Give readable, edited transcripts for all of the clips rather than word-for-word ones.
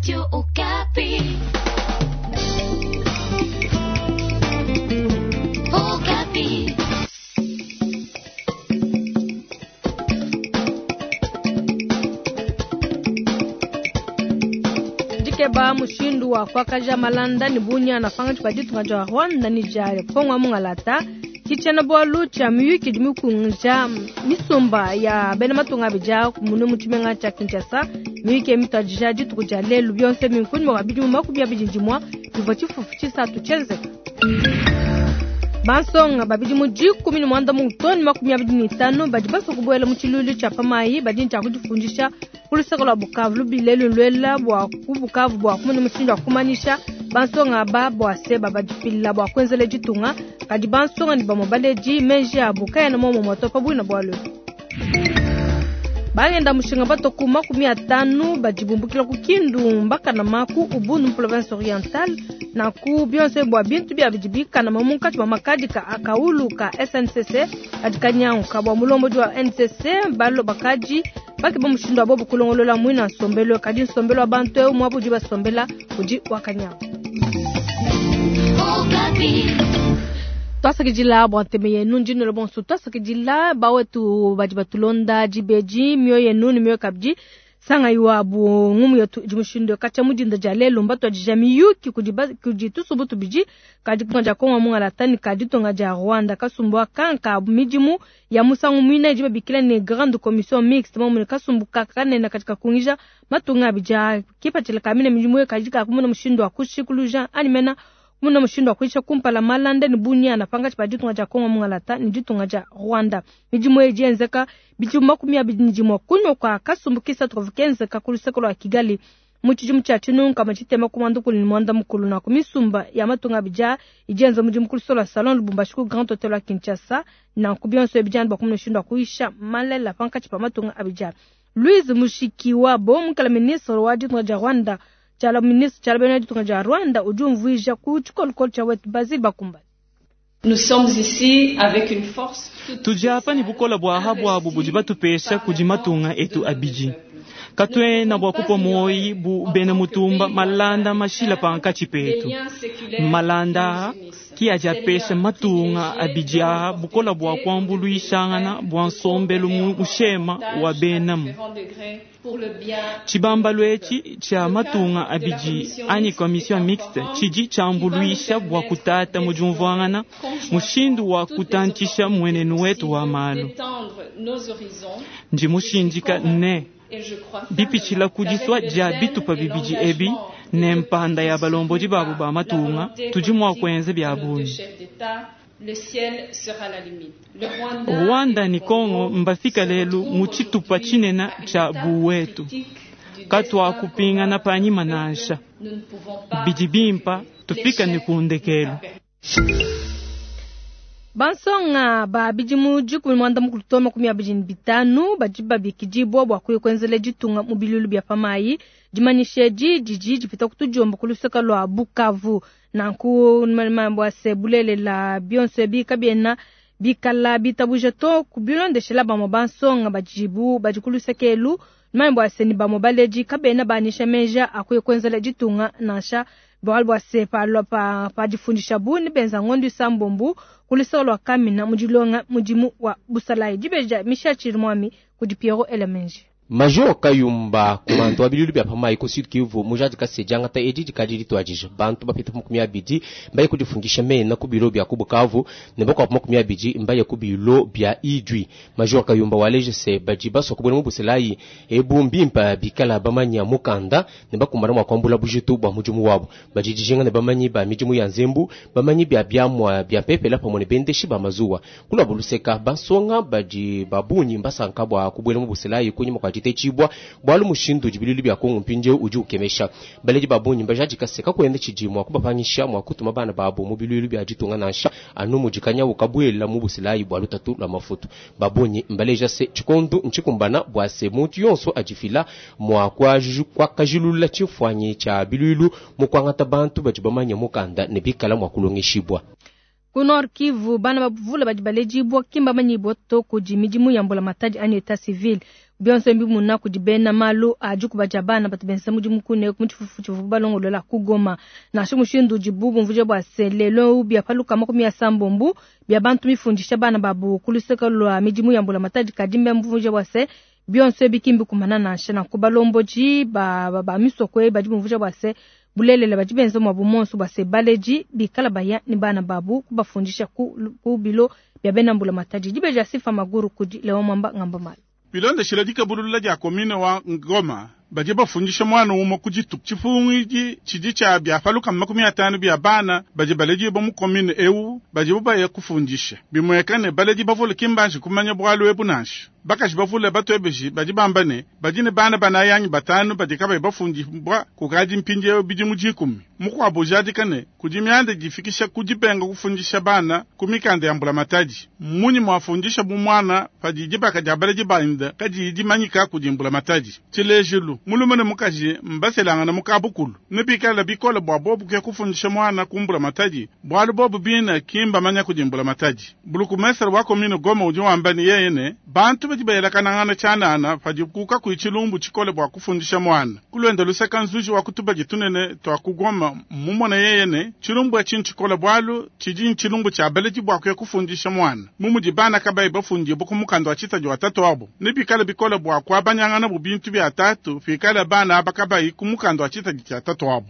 Radio Okapi. Okapi. Dikeba mushindu wa kuakaja malanda ne bunyana pankatshi pa ditunga dia Rwanda ne dia Kongo wa mungalata ke tshiena-bualu tshia miyuki idi mikunguija misumba ya bena matunga abidi aa munu mu tshimenga tshia Kinshasa. Miyuki mituadija dituku dia lelu bionso ebi nkunyima kua bidimu 21 bivua tshifufu tshisatu tshienzeka. Bansonga ba bidimu 16 too ne 25 badi basue kubuela mu tshiluilu tshia pa mayi badi ne tshia kudifundisha ku luseke lua Bukavu. Lubila elu luela bua ku Bukavu bua kumona mushindu wa kumanyisha bansonga aba bua se babadifila bua kuenzela ditunga. Kadi bansonga ne bamue baledi meji abu kaena muomumue to pa buina bualu ebu. Bangenda mushinga batua ku 50 badi bumbukila ku Kindu mbakanama ku Ubundu mu province orientale. Nanku bionso ebi bua bintu biabu bidi bikanama munkatshi mua makadi ka kawulu ka SNCC adi kanyanguka. Bua mulombodi wa NCC balo bakadi bakeba mushindu wa bobu kulongolola muina nsombelu, kadi nsombelu wa bantu eu muaba udi basombela udi wa kanyangu. Tuasakidila bua ntema yenu, ndi nuela bonso tuasakidila bawetu badi batulonda dibeji mioyo yenu ne mioyo kabidi sangayi wabu ngumu yetu idi mushindu katshia mu dinda dia lelu mbatuadija miyuki kudi kudi tusumbu tubidi ka ditunga dia Kongo mungalata ne ka ditunga dia Rwanda. Kasumbu aka nka midimu ya musangu muina idi babikila ne Grande Commission Mixte momune kasumbu ka kanene kadi kakungija matunga abidi aa. Kipatshila ka mine midimu eyi kadi kakumona mushindu wa kushikuluja anyi mena kumona mushindu wa kuyisha kumpala malanda ne bunyana pankatshi pa ditunga dia Kongo mungalata ne ditunga dia Rwanda. Midimu eyi idi yenzeka bidimu 21 kunyima kua kasumbu kisatu kavua kenzeka ku luseke lua Kigali mu tshidimu tshia 1990. Nanku misumba ya matunga abidi aa idi yenza mudimu ku luseke lua Salon Lubumbashi ku Grand Hotel wa Kinshasa. Nanku bionso ebi bidianu bua kumona mushindu wa kuyisha malela pankatshi pa matunga abidi aa. Louise Mushikiwabo mukala ministre wa ditunga dia Rwanda tshiala ministre tshiala bena ditunga dia Rwanda udi umvuija ku tshikolokolo tshia wetu Basile Bakumbane. Nous sommes ici avec une force toute Tudi apa ne bukole bua ha buabu budi batupesha kudi matunga etu abidi. Katuena bua kupua muoyi bu bena mutumba malanda mashila pankatshi petu. Malanda aa ki adi apesha matunga abidi aa bukole bua kuambuluishangana bua nsombelu mushema wa benamu. Tshibambalu etshi tshia matunga abidi anyi commission mixte tshidi tshiambuluisha bua kutata mu diumvuangana mushindu wa kutantshisha mmuenenu wetu wa malu. Ndi mushindika ne bipitshila ku disua dia bitupa bibidi ebi ne mpanda ya balombodi babu ba matunga tudi mua kuenza bia bungi. Rwanda ne Congo mbafika lelu mu tshitupa tshinene tshia buwetu. Katuakupingana panyima nansha. Bidi bimpa tufika ne ku ndekelu. Bansonga ba bidimu 16 to 25 badi babikidibua bua kuya kuenzela ditunga mu biluilu bia pa mayi. Dimanyisha edi didi dipita ku tudiomba ku luseke lua Bukavu. Nanku bua se bulelela bionso ebi kabiena bikala bitabuja to kubilondeshela bamue bansonga badibu badi ku luseke elu. Manya bua se ni bamue baledi kabena banyisha meja akuya kuenzela ditunga nansha bualu bua se palua pa padifundishabu ne benza ngondo isambombo ku luseke lua Kamina mu dilonga mudimu wa busalayi. Dibeji Michel Chirimwami kudi Pierrot Elemenji. Major Kayumba komanda wa biluilu bia pa mayi ku Sud Kivu mujadika se diangata edi dikadi dituadija. Bantu bapita pa 20 mbaye kudifundisha mena ku bilo bia ku Bukavu ne bakuabu 20 mbaye ku bilo bia Idjwi. Major Kayumba waleja se badi basua kubuela mu buselayi ebu mbimpa bikala bamanya mukanda ne bakumbana mua kuambula bujitu bua mudimu wabu. Badi dijinga ne bamanyi ba midimu ya nzembu, bamanyi bia biamua bia mpepela pamue ne bendeshi ba mazuwa. Kuluabu luseka bansonga badi ba bungi mbasanka bua kubuela mu buselayi kunyima kua ditetshibua bualu mushindu udi biluilu bia Kongo mpindieu udi ukemesha. Baledi ba bungi mbajadika se kakuena tshidi mua kubapangisha mua kutuma bana babu mu biluilu bia ditunga nansha anu mudi kanyawu kabuela mu buselayi bua lutatu lua mafutu. Ba bungi mbaleja se tshikondu ntshikumbana bua se muntu yonso adifila mua kuakajilula tshimfuanyi tshia biluilu mu kuangata bantu badi bamanye mukanda ne bikala mua kulongeshibua. Ku Nord Kivu, bana bavule badi baledibua ki mbamanyibua to kudi midimu ya mbulamatadi anyi etat civil. Bionso mbimuna kudi bena malu a dikuba dia bana batu benza mudimu kune mu tshifufu tshivuabu balongolola ku Goma. Nansha mushindu udibu bumvuija bua se lelu bia pa lukama 70 bia bantu mifundisha bana babu ku luseke lua midimu ya mbulamatadi, kadi mbumvuija bua se bionso ebi ki mbikumana nansha. Nanku balombodi ba, ba, ba misoko eyi badi bumvuija bua se bulelela badi benza muabu monso bua se baledi bikala baya ne bana babu kubafundisha ku, ku bilo bia bena mbulamatadi. Dibeja Sifa Maguru kudi Leon Mwamba Ngamba Malu. Bilondeshile dikebulula dia commune wa Ngoma, badi bafundisha mwana umwe ku dituku. Tshipungidi tshidi tshia bia pa lukama 50 bia bana badi baledibua mu commune eu badibu baya kufundisha. Bimueka ne baledi bavule ki mbanji kumanya bualu ebu nansha. Bakaji bavule batuebeji badi bamba ne badi ne bana banayi anyi batanu badi kabayi bafundibua kukadi mpindieu bidimu 10. Mukuabu ujadika ne kudi mianda difikisha ku dibenga kufundisha bana ku mikanda ya mbulamatadi. Mmunyi muafundisha bu mwana padi dibaka dia baledi bende kadiyi dimanyika kudi mbulamatadi? Tshilejilu, mulume ne mukaji mbaselangana mu kabukulu, ne bikala bikole bua bobu kuya kufundisha mwana ku mbulamatadi, bualu bobu bine ki mbamanya kudi mbulamatadi. Bulukumesere wa commune Goma udi wamba ne yeye ne bantu badi bayelakanangana tshianana padi kukakuyi tshilumbu tshikole bua kufundisha mwana. Kulwenda luseka nzuji wa kutubadi tunene twa ku Goma mumona yeye ne tshilumbu etshi ntshikole bualu tshidi ntshilumbu tshia baledi bua kuya kufundisha mwana. Mumudi bana kabayi bafundibua ku mukanda wa tshitadi wa tatu wabo, ne bikale bikole bua kuabanyangana bu bintu bia tatu pikala bana aba kabayi ku mukanda wa tshitadi tshia tatu wabo.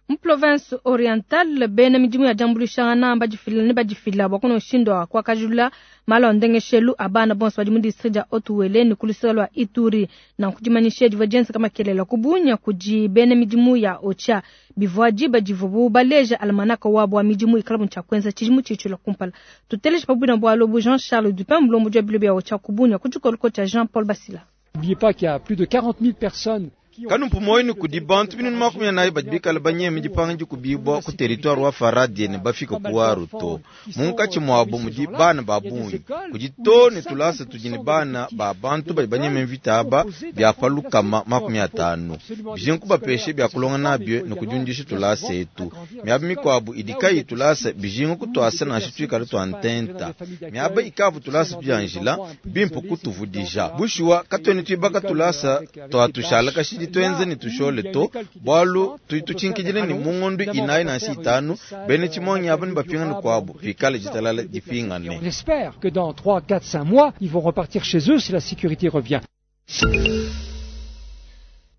Mu province orientale bena midimu ya diambuluishangana badifila ne badifila bua kuna mushindu wa kuakajulula malu a ndengeshelu a bana bonso badi mu district dia Haut-Uele ne ku luseke lua Ituri. Nanku dimanyisha divua dienzeka makelela ku Bunia kudi bena midimu ya OCHA bivua diba divuabu baleja almanaka wabu wa midimu ikala tshia kuenza tshidimu tshitshila kumpala. Tuteleje pa buina bualu bu Jean Charles Dupin mulombodi wa bilo bia OCHA ku Bunia ku tshikoloko tshia Jean Paul Basila. N'oubliez pas qu'il y a plus de 40 000 personnes Kanumpu moyo kudi bantu 44 badi bikala banyeme dipanga dikubibua ku territoire wa Faradie ne bafika ku Waru to. Munkatshi muabu mudi bana ba bungi. Kudi to ne tulasa tudi ne bana ba bantu badi banyeme mvita aba bia pa lukama 50. Bijinga kubapesha bia kulonga nabio ne kudiundisha tulasa etu. Miaba mikuabu idi kayi tulasa bijinga kutuasa nansha tuikala tua ntenta. Miaba ikavu tulasa tudianjila bimpe kutuvudija. Bushuwa katuena tuibaka tulasa tuatushala kashidi twenze ni tushole to bualu tuituchinkidile ni mungondu inayi nansha itanu bene tshimonyi aba ni bapingane kuabu pikale ditalala dipingane. On espère que dans 3, 4, 5 mois, ils vont repartir chez eux si la sécurité revient.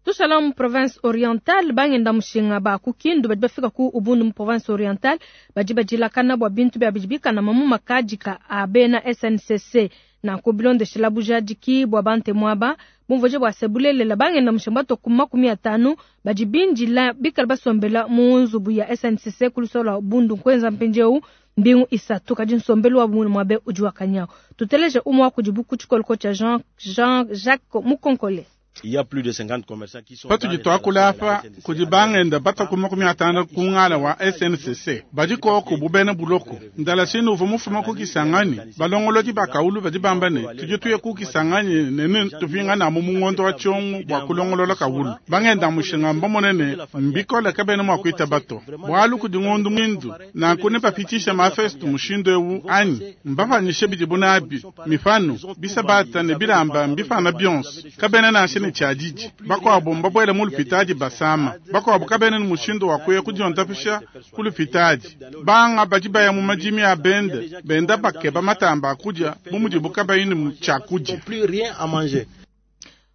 Tushala mu province orientale bangenda mushinga ba ku Kindu badi bafika ku Ubundu mu province orientale badi badilakana bua bintu bia bidi bikana mu makadika a bena SNCC nanku bilondeshela bujadiki bua bantemu aba bumvuije bua se bulelela bangenda mushinga bato ku 50 badi bindila bikala basombela mu nzubu ya SNCC ku lusolo lua Ubundu nkuenza mpindieu mbingu isatu kadi nsombelu wa bumunu mwabe udi wakanyao. Tuteleje umwe wa kudibu ku tshikoloko tshia Jean, Jean Jacques Mukonkole. Patudi tuakula apa kudi bangenda bataku 50 ku ngala wa SNCC badi koko bubena buloko ndalasini uvua mufuma ku Kisangani balongolodi bakaulu badi bamba ne tudi tuye ku Kisangani nene tupingana mu mungondo wa tshiongo bua kulongolola kaulu bangenda mushinga mbamone ne mbikole kabena mua kuita bato bualu kudi ngondu mwindu nanku ne bapitisha mafestu mushindu ewu anyi mbapanyishe bidibu nabi mifanu bisabata ne bilamba mbifana bionso kabena nansha ne tshiadidi bakuabu mbabwele mu lupitadi basama bakuabu kabena ne mushindu wa kuya kudiondapisha ku lupitadi banga badi baya mu madimi a bende benda bakeba matamba a kudia bu mudibu kabayi ne tshiakudia.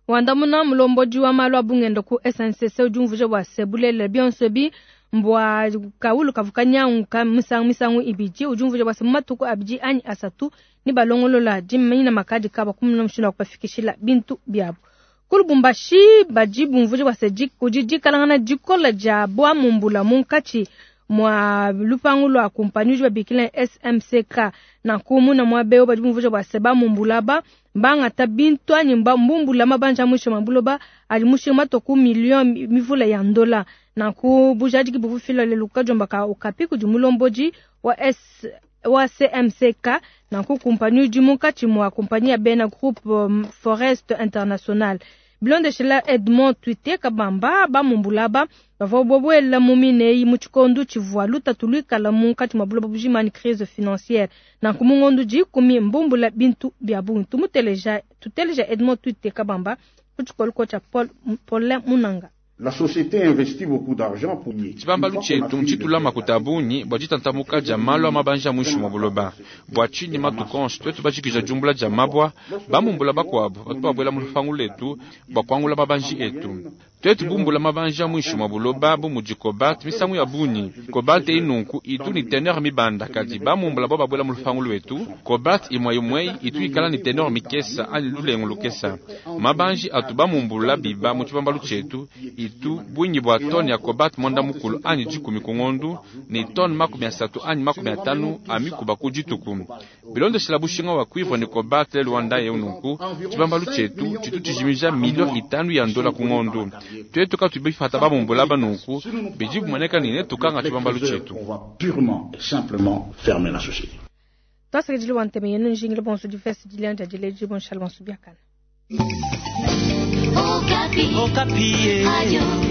Wandamuna mulombodi wa malu a bungenda ku SNCC udi umvuija bua se bulelela bionso ebi mbua kaulu kavu kanyanguka misangu misangu ibidi udi umvuija bua se mu matuku abidi anyi asatu ne balongolola dimanyina makadi kaba kumuna mushindu wa kubafikishila bintu biabu. Ku Lubumbashi badi bumvuija bua se kudi dikalangana dikola dia bua mumbula munkatshi mwa lupangu lua kumpanyi udi babikila SMCK nanku muna muaba eu badi bumvuija bua se bamumbula ba bangata bintu anyi mbumbula mabanja mwisho mwa buloba adi mushinga matoku million mivula ya ndola nanku bujadiki buvufila lelu kajomba ka okapi kudi mulombodi wa S wa CMCK nanku kumpanyi udi munkatshi mwa kumpanyi ya bena groupe Forest International. Bilondeshela Edmond Twite Kabamba, bamumbula aba bavua babuela mu mine eyi mu tshikondo tshivua lutatu luikala munkatshi mua buloba bujima ne crise financière. Nanku mu ngondo dikumi mbumbula bintu bia bungi. Tumuteleja, tuteleja Edmond Twite Kabamba ku tshikolo tshia Paul Paulin Munanga. La société investit beaucoup d'argent pour Tshibambalu tshietu ntshitula makuta a bungi bua ditantamuka dia malu a mabanji a muinshi mua buloba. Bua tshinyi matuku onso tuetu bajikija diumbula dia mabua, bamumbula bakuabu batu babuela mu lupangu luetu bua kuangula mabanji etu. Tuetu bumbula mabanji a muinshi mua buloba bu mudi cobalt misangu ya bungi. Cobalt eyi nunku itu ne teneur mibanda, kadi bamumbula bo babuela mu lupangu luetu, cobalt imue imue itu ikala ne teneur mikesa anyi lulengu lukesa. Mabanji atu bamumbula biba mu tshibambalu tshietu itu bungi bua tone ya cobalt mwanda mukulu anyi dikumi ku ngondu ne tone 30 anyi 50 a mikuba ku dituku. Bilondeshela bushinga wa cuivre ne cobalt lelu wa ndaya eu nunku, tshibambalu tshietu tshitu tshijimija milio itanu ya ndola ku ngondu. Tuetu katuyi bipata bamumbula aba nunku, bidi bimueneka ne netukanga tshibambalu tshietu. On va purement et simplement fermer la société. Twasakidila bua ntema yenu njingile bonso difesi dilenja dileji bonshala bonso biakana. Okapi. Okapi. Radio.